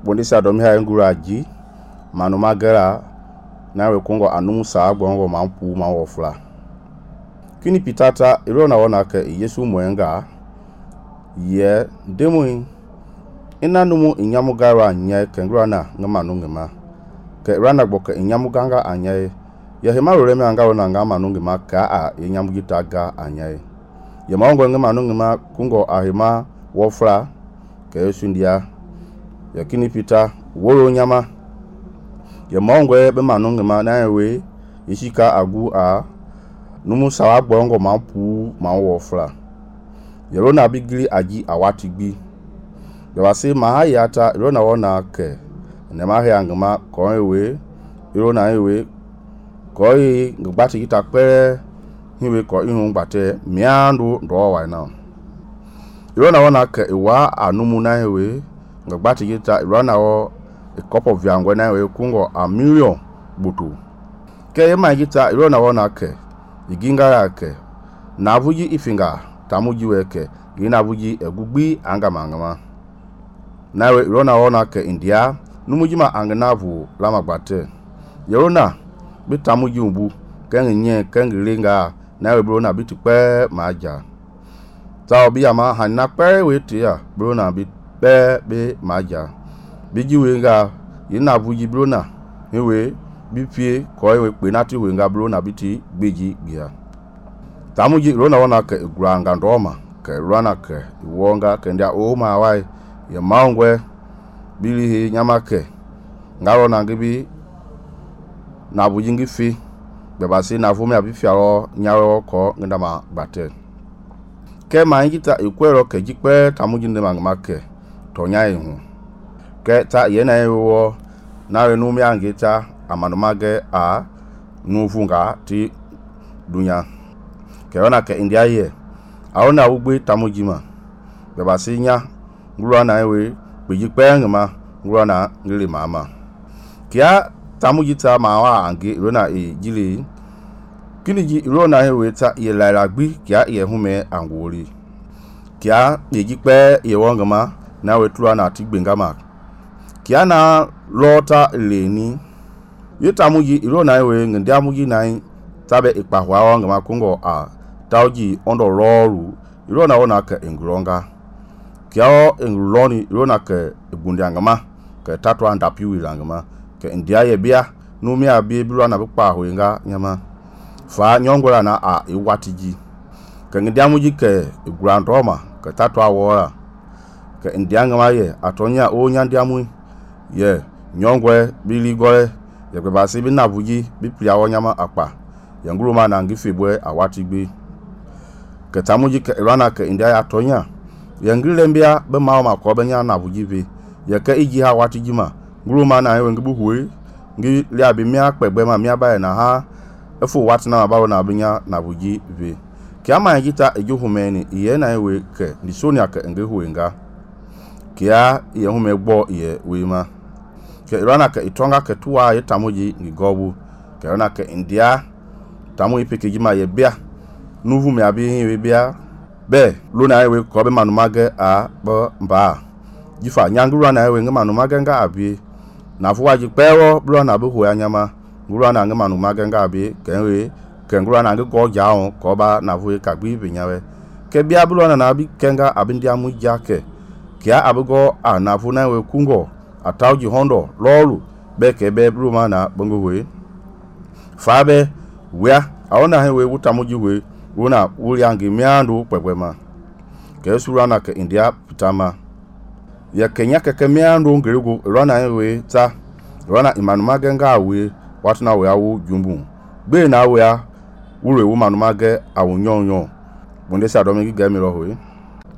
bondisia domi ha ngura ji manu magera na we kongo anu sa gbongo mampu ma wofla kini pitata iro na wona ke Yesu mwenga ye demu ina numu inyamu gara anya ke ngura na ngamanu ngema ke rana gboke inyamu ganga anya ye hema reme anga wona ngamanu ngema ka a inyamu gitaga anya ye maongo ngamanu ngema kungo ahema wofla ke Yesu ndia yakini pita woro nyama ye maongo be manu ngema na we yishika agu a numu sawa gbongo mampu ma wofla yero na bigili aji awati gbi ye wase mahayata yero na wona ke ne mahya ngama ko ewe yero na ewe ko yi ngbati kita pe hiwe ko ihun gbate miandu ndo wa na yero na wona ke wa anumu na ewe ngbati kita yero na wo a cup of yangwe na ewe kungo a million butu ke ye ma kita yero na wona ke iginga yake na vuji ifinga tamuji weke ina vuji egugbi anga mangama nawe rona ona ke India numuji ma angnavu lama gbate yerona bi tamuji umbu kenye kengilinga nawe brona bi tipe maja ta obi ama hanna pe wete ya brona bi pe be maja biji wenga ina vuji brona hewe bi fie ko ewe pe nati wenga brona biti gbeji bia tamuji rona wona ke granga ndoma ke rana ke wonga ke ndia o ma wai ye maongwe bili he nyama ke ngaro na ngibi na bujingi fi be basi na vumi abi fiaro nyawo ko ngandama gbate ke ma ngita ikwero ke jikpe tamuji ndema ngmake to nyai hu ke ta ye na ewo na we nu mi angita amanumage a nufunga ti dunya ke ona ke India ye aona ugbe tamujima be basinya ngura na ewe beji pengma ngura na ngili mama kia tamujita mawa ange rona e jili kiniji rona ewe ta ye laila gbi kia ye hume angori kia beji pe ye wongama na we tura na tigbengama kia na lota leni yetamuji irona ewe ngandiamuji nai tabe ikpahwa wanga makungo a tauji ondo roru irona wona ke ingronga kiao ingloni irona ke ibundiangama ke tatwa ndapiwi langama ke india ye bia numi abi bilwana bikpahwe nga nyama fa nyongola na a iwatiji ke ngandiamuji ke igrandoma ke tatwa wora ke indiangama ye atonya o nyandiamu ye nyongwe bili gore ye basi bi nabuji bi plia wonyama akpa yanguruma na ngifebwe awatigbe ke tamuji ke irana ke india ya tonya yangile mbia be mawo makobe nya nabuji be ye ke iji ha watigima nguruma na ewe ngibu huwe ngi lia bi mia pegbe ma mia ba na ha efu watina ma bawo na binya nabuji be kiama ngita ejuhumeni iye na ewe ke ni sonia ke ngehuenga kia ye hume gbo ye wema ke irana ke itonga ke tuwa ye tamuji ngigobu ke irana ke India tamu ipeke jima ye bia nuvu me abi we bia be lona ewe ko be manumage a bo mba jifa nyanguru na ewe ngamanumage nga abi na fuwaji pewo blo na bu ho anyama nguru na ngamanumage nga abi kenwe ke nguru na ngo jawo ko ba na fu ka gbi binyawe ke bia blo na abi kenga abi ndia mu jake kia abugo a na fu na ewe kungo atauji hondo lolu beke be bruma na bongo we fabe wea aona hewe utamuji we una uliangi miandu pepema ke surana ke India pitama ya Kenya ke miandu ngirigo rana hewe ta rana imanumage nga we watuna we awu jumbu be na we a ure wo manumage awunyonyo bondesa domingi gemiro hoye